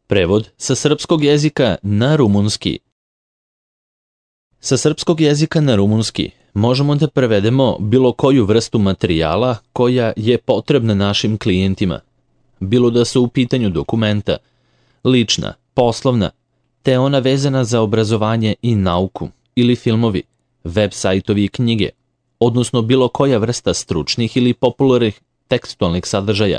Prevod sa srpskog jezika na rumunski. Sa srpskog jezika na rumunski možemo da prevedemo bilo koju vrstu materijala koja je potrebna našim klijentima, bilo da su u pitanju dokumenta, lična, poslovna, te ona vezana za obrazovanje i nauku, ili filmovi, web sajtovi i knjige, odnosno bilo koja vrsta stručnih ili popularnih tekstualnih sadržaja.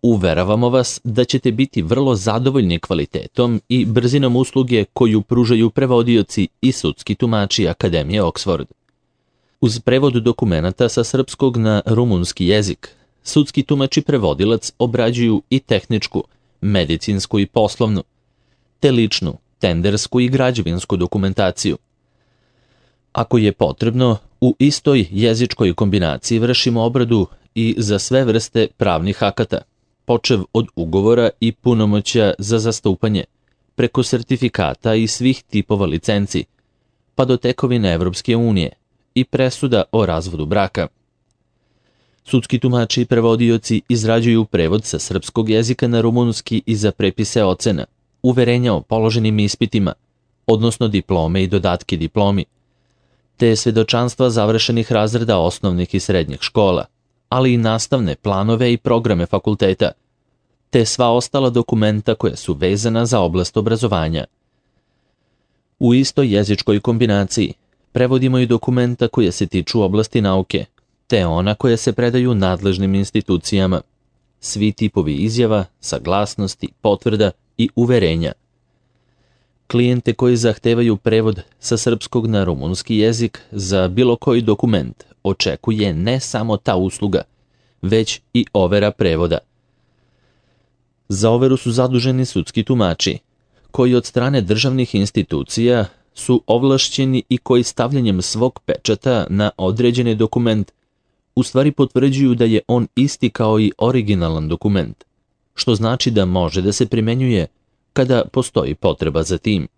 Uveravamo vas da ćete biti vrlo zadovoljni kvalitetom i brzinom usluge koju pružaju prevodioci i sudski tumači Akademije Oxford. Uz prevod dokumenata sa srpskog na rumunski jezik, sudski tumač i prevodilac obrađuju i tehničku, medicinsku i poslovnu, te ličnu, tendersku i građevinsku dokumentaciju. Ako je potrebno, u istoj jezičkoj kombinaciji vršimo obradu i za sve vrste pravnih akata, počev od ugovora i punomoćja za zastupanje, preko sertifikata i svih tipova licenci, pa do tekovine Evropske unije i presuda o razvodu braka. Sudski tumači i prevodioci izrađuju prevod sa srpskog jezika na rumunski i za prepise ocena, uverenja o položenim ispitima, odnosno diplome i dodatke diplomi, te svedočanstva završenih razreda osnovnih i srednjih škola, ali i nastavne planove i programe fakulteta, te sva ostala dokumenta koja su vezana za oblast obrazovanja. U istoj jezičkoj kombinaciji prevodimo i dokumenta koja se tiču oblasti nauke, te ona koja se predaju nadležnim institucijama, svi tipovi izjava, saglasnosti, potvrda i uverenja. Klijente koji zahtevaju prevod sa srpskog na rumunski jezik za bilo koji dokument očekuje ne samo ta usluga, već i overa prevoda. Za overu su zaduženi sudski tumači, koji od strane državnih institucija su ovlašćeni i koji stavljanjem svog pečata na određeni dokument u stvari potvrđuju da je on isti kao i originalan dokument, što znači da može da se primenjuje kada postoji potreba za tim.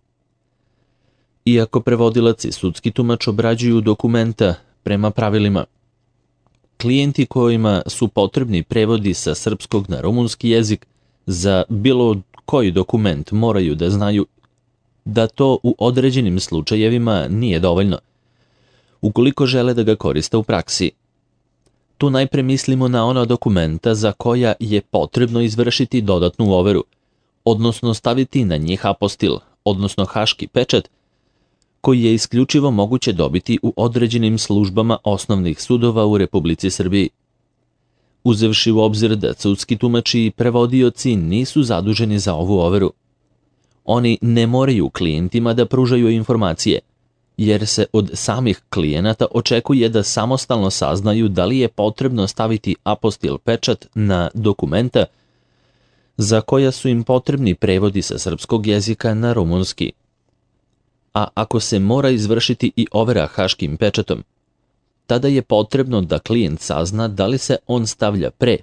Iako prevodilac i sudski tumač obrađuju dokumenta prema pravilima, klijenti kojima su potrebni prevodi sa srpskog na rumunski jezik za bilo koji dokument moraju da znaju da to u određenim slučajevima nije dovoljno, ukoliko žele da ga koriste u praksi. Tu najpre mislimo na ona dokumenta za koja je potrebno izvršiti dodatnu overu, odnosno staviti na njih apostil, odnosno haški pečat, koji je isključivo moguće dobiti u određenim službama osnovnih sudova u Republici Srbiji. Uzevši u obzir da sudski tumači i prevodioci nisu zaduženi za ovu overu, oni ne moraju klijentima da pružaju informacije, jer se od samih klijenata očekuje da samostalno saznaju da li je potrebno staviti apostil pečat na dokumenta za koja su im potrebni prevodi sa srpskog jezika na rumunski. A ako se mora izvršiti i overa haškim pečatom, tada je potrebno da klijent sazna da li se on stavlja pre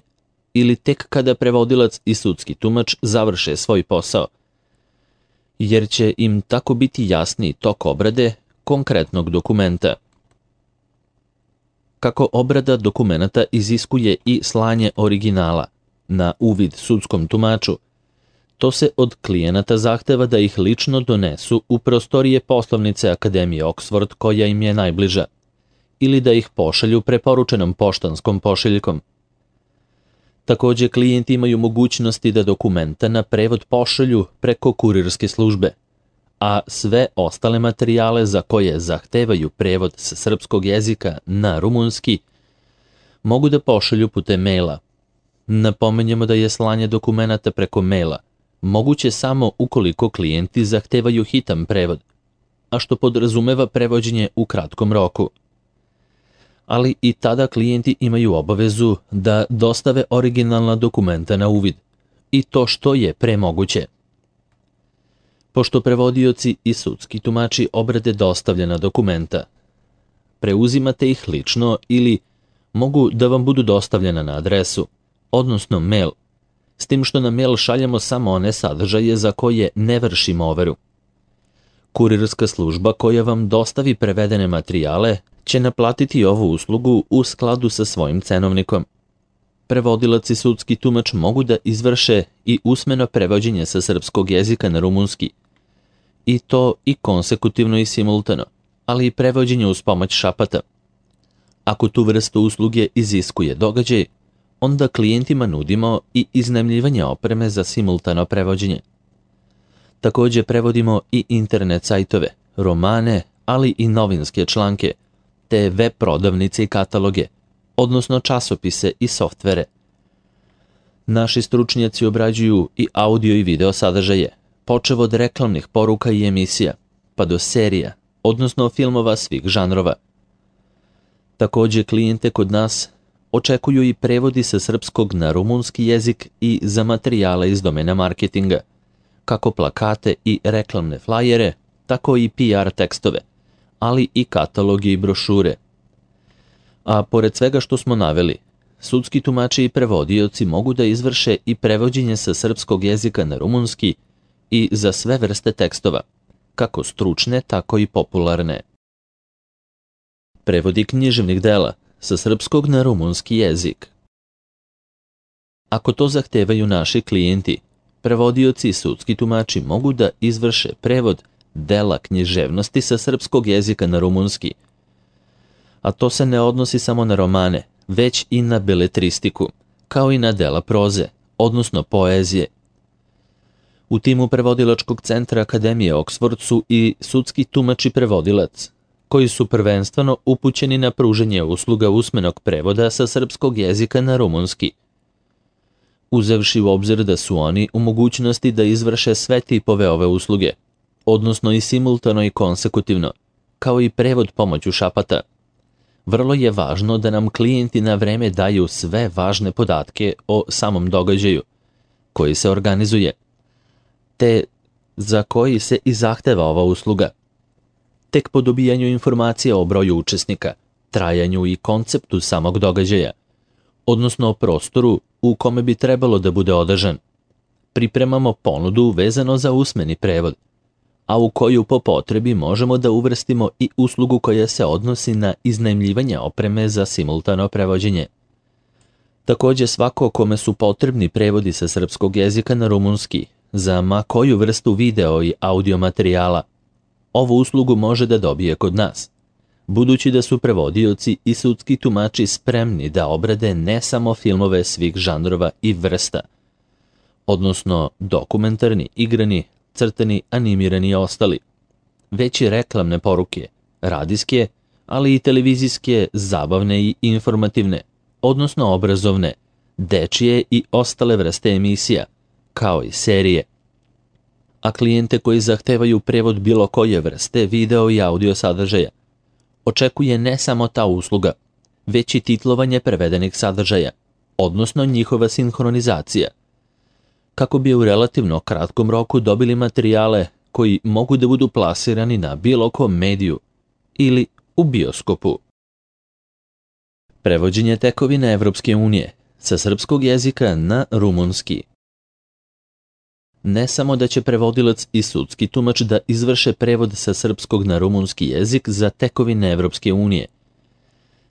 ili tek kada prevodilac i sudski tumač završe svoj posao, jer će im tako biti jasniji tok obrade konkretnog dokumenta. Kako obrada dokumenata iziskuje i slanje originala na uvid sudskom tumaču, to se od klijenata zahteva da ih lično donesu u prostorije poslovnice Akademije Oxford koja im je najbliža, ili da ih pošalju preporučenom poštanskom pošiljkom. Takođe, klijenti imaju mogućnosti da dokumenta na prevod pošalju preko kurirske službe, a sve ostale materijale za koje zahtevaju prevod sa srpskog jezika na rumunski mogu da pošalju putem maila. Napomenjemo da je slanje dokumenata preko maila moguće samo ukoliko klijenti zahtevaju hitan prevod, a što podrazumeva prevođenje u kratkom roku. Ali i tada klijenti imaju obavezu da dostave originalna dokumenta na uvid, i to što je pre moguće. Pošto prevodioci i sudski tumači obrade dostavljena dokumenta, preuzimate ih lično ili mogu da vam budu dostavljena na adresu, odnosno mail, s tim što na mail šaljemo samo one sadržaje za koje ne vršimo overu. Kurirska služba koja vam dostavi prevedene materijale će naplatiti ovu uslugu u skladu sa svojim cenovnikom. prevodilac i sudski tumač mogu da izvrše i usmeno prevođenje sa srpskog jezika na rumunski, i to i konsekutivno i simultano, ali i prevođenje uz pomoć šapata. Ako tu vrstu usluge iziskuje događaj, onda klijentima nudimo i iznajmljivanje opreme za simultano prevođenje. Također prevodimo i internet sajtove, romane, ali i novinske članke, te web prodavnice i kataloge, odnosno časopise i softvere. Naši stručnjaci obrađuju i audio i video sadržaje, počev od reklamnih poruka i emisija, pa do serija, odnosno filmova svih žanrova. Također klijente kod nas očekuju i prevodi sa srpskog na rumunski jezik i za materijale iz domena marketinga, kako plakate i reklamne flajere, tako i PR tekstove, ali i katalogi i brošure. A pored svega što smo naveli, sudski tumači i prevodioci mogu da izvrše i prevođenje sa srpskog jezika na rumunski i za sve vrste tekstova, kako stručne, tako i popularne. Prevodi književnih dela sa srpskog na rumunski jezik. Ako to zahtevaju naši klijenti, prevodioci i sudski tumači mogu da izvrše prevod dela književnosti sa srpskog jezika na rumunski. A to se ne odnosi samo na romane, već i na beletristiku, kao i na dela proze, odnosno poezije. U timu prevodilačkog centra Akademije Oxford su i sudski tumač i prevodilac, koji su prvenstveno upućeni na pruženje usluga usmenog prevoda sa srpskog jezika na rumunski. Uzevši u obzir da su oni u mogućnosti da izvrše sve tipove ove usluge, odnosno i simultano i konsekutivno, kao i prevod pomoću šapata. Vrlo je važno da nam klijenti na vreme daju sve važne podatke o samom događaju koji se organizuje, te za koji se i zahteva ova usluga. Tek po dobijanju informacija o broju učesnika, trajanju i konceptu samog događaja, odnosno o prostoru u kome bi trebalo da bude održan, pripremamo ponudu vezano za usmeni prevod, a u koju po potrebi možemo da uvrstimo i uslugu koja se odnosi na iznajmljivanje opreme za simultano prevođenje. Također svako kome su potrebni prevodi sa srpskog jezika na rumunski, za ma koju vrstu video i audio materijala, ovu uslugu može da dobije kod nas, budući da su prevodioci i sudski tumači spremni da obrade ne samo filmove svih žanrova i vrsta, odnosno dokumentarni, igrani, crtani, animirani i ostali, već i reklamne poruke, radijske, ali i televizijske, zabavne i informativne, odnosno obrazovne, dečije i ostale vrste emisija, kao i serije. A klijente koji zahtevaju prevod bilo koje vrste video i audio sadržaja, očekuje ne samo ta usluga, već i titlovanje prevedenih sadržaja, odnosno njihova sinhronizacija, kako bi u relativno kratkom roku dobili materijale koji mogu da budu plasirani na bilo kom mediju ili u bioskopu. Prevođenje tekovina Evropske unije sa srpskog jezika na rumunski. Ne samo da će prevodilac i sudski tumač da izvrše prevod sa srpskog na rumunski jezik za tekovine Evropske unije,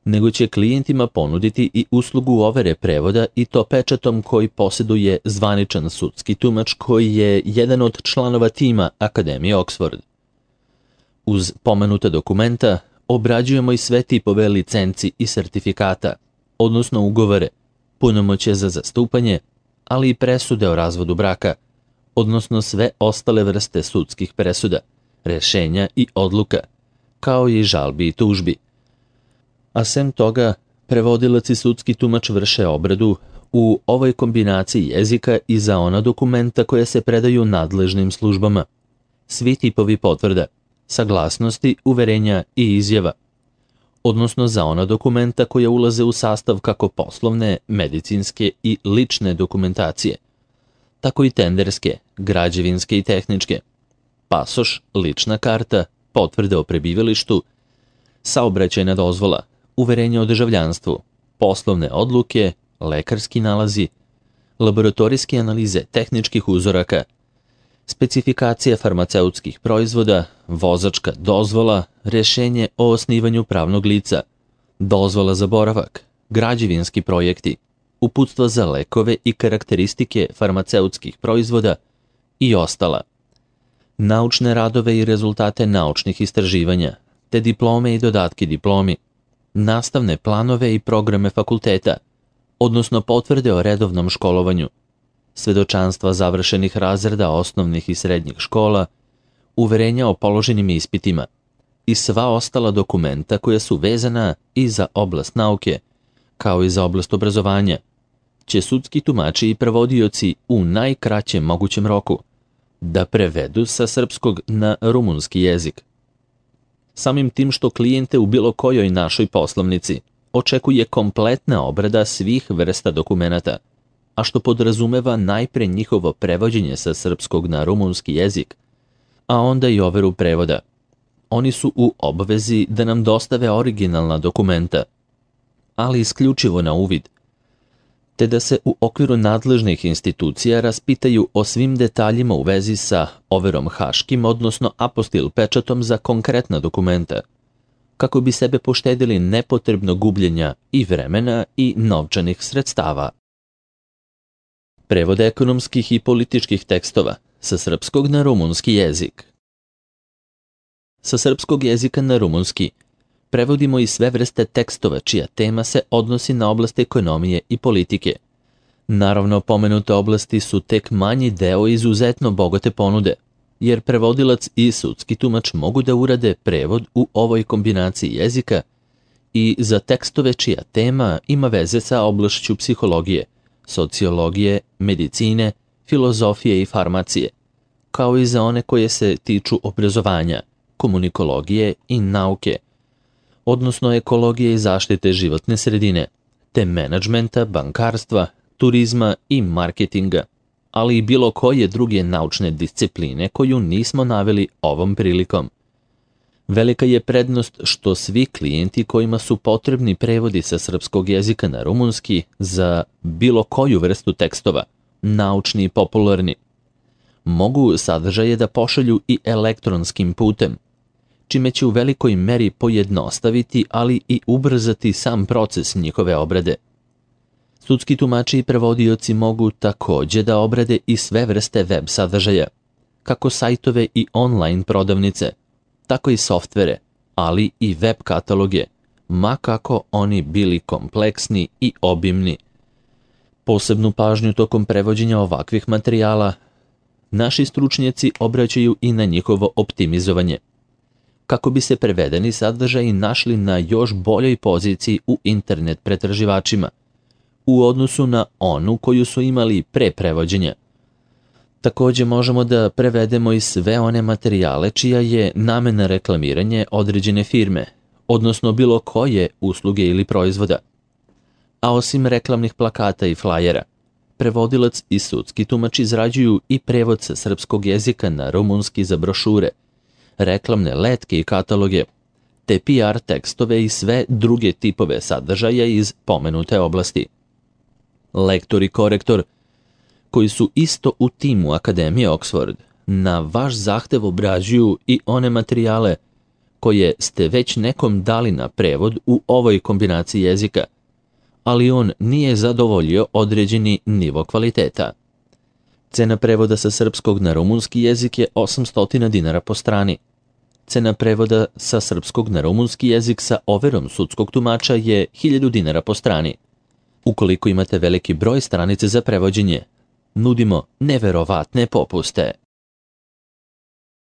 nego će klijentima ponuditi i uslugu overe prevoda i to pečatom koji posjeduje zvaničan sudski tumač koji je jedan od članova tima Akademije Oxford. Uz pomenuta dokumenta obrađujemo i sve tipove licenci i sertifikata, odnosno ugovore, punomoćje za zastupanje, ali i presude o razvodu braka, odnosno sve ostale vrste sudskih presuda, rešenja i odluka, kao i žalbi i tužbi. A sem toga, prevodilac i sudski tumač vrše obradu u ovoj kombinaciji jezika i za ona dokumenta koje se predaju nadležnim službama. Svi tipovi potvrda, saglasnosti, uverenja i izjava, odnosno za ona dokumenta koja ulaze u sastav kako poslovne, medicinske i lične dokumentacije, tako i tenderske, građevinske i tehničke, pasoš, lična karta, potvrde o prebivalištu, saobraćajna dozvola, uverenje o državljanstvu, poslovne odluke, lekarski nalazi, laboratorijske analize tehničkih uzoraka, specifikacija farmaceutskih proizvoda, vozačka dozvola, rešenje o osnivanju pravnog lica, dozvola za boravak, građevinski projekti, uputstva za lekove i karakteristike farmaceutskih proizvoda i ostala. Naučne radove i rezultate naučnih istraživanja, te diplome i dodatke diplomi, nastavne planove i programe fakulteta, odnosno potvrde o redovnom školovanju, svedočanstva završenih razreda osnovnih i srednjih škola, uverenja o položenim ispitima i sva ostala dokumenta koja su vezana i za oblast nauke, kao i za oblast obrazovanja, će sudski tumači i prevodioci u najkraćem mogućem roku da prevedu sa srpskog na rumunski jezik. Samim tim što klijente u bilo kojoj našoj poslovnici očekuje kompletna obrada svih vrsta dokumenata, a što podrazumeva najpre njihovo prevođenje sa srpskog na rumunski jezik, a onda i overu prevoda. Oni su u obvezi da nam dostave originalna dokumenta, ali isključivo na uvid, te da se u okviru nadležnih institucija raspitaju o svim detaljima u vezi sa overom haškim, odnosno apostil pečatom za konkretna dokumenta, kako bi sebe poštedili nepotrebno gubljenja i vremena i novčanih sredstava. Prevod ekonomskih i političkih tekstova sa srpskog na rumunski jezik. Sa srpskog jezika na rumunski prevodimo i sve vrste tekstova čija tema se odnosi na oblast ekonomije i politike. Naravno, pomenute oblasti su tek manji deo izuzetno bogate ponude, jer prevodilac i sudski tumač mogu da urade prevod u ovoj kombinaciji jezika i za tekstove čija tema ima veze sa oblašću psihologije, sociologije, medicine, filozofije i farmacije, kao i za one koje se tiču obrazovanja, komunikologije i nauke, odnosno ekologije i zaštite životne sredine, te menadžmenta, bankarstva, turizma i marketinga, ali i bilo koje druge naučne discipline koju nismo naveli ovom prilikom. Velika je prednost što svi klijenti kojima su potrebni prevodi sa srpskog jezika na rumunski za bilo koju vrstu tekstova, naučni i popularni, mogu sadržaje da pošalju i elektronskim putem, čime će u velikoj meri pojednostaviti, ali i ubrzati sam proces njihove obrade. Sudski tumači i prevodioci mogu takođe da obrade i sve vrste web sadržaja, kako sajtove i online prodavnice, tako i softvere, ali i web kataloge, ma kako oni bili kompleksni i obimni. Posebnu pažnju tokom prevođenja ovakvih materijala naši stručnjaci obraćaju i na njihovo optimizovanje, kako bi se prevedeni sadržaji našli na još boljoj poziciji u internet pretraživačima, u odnosu na onu koju su imali pre prevođenja. Takođe možemo da prevedemo i sve one materijale čija je namena reklamiranje određene firme, odnosno bilo koje usluge ili proizvoda. A osim reklamnih plakata i flajera, prevodilac i sudski tumač izrađuju i prevod sa srpskog jezika na rumunski za brošure, reklamne letke i kataloge, te PR tekstove i sve druge tipove sadržaja iz pomenute oblasti. Lektor i korektor, koji su isto u timu Akademije Oxford, na vaš zahtev obrađuju i one materijale koje ste već nekom dali na prevod u ovoj kombinaciji jezika, ali on nije zadovoljio određeni nivo kvaliteta. Cena prevoda sa srpskog na rumunski jezik je 800 dinara po strani. Cena prevoda sa srpskog na rumunski jezik sa overom sudskog tumača je 1000 dinara po strani. Ukoliko imate veliki broj stranice za prevođenje, nudimo neverovatne popuste.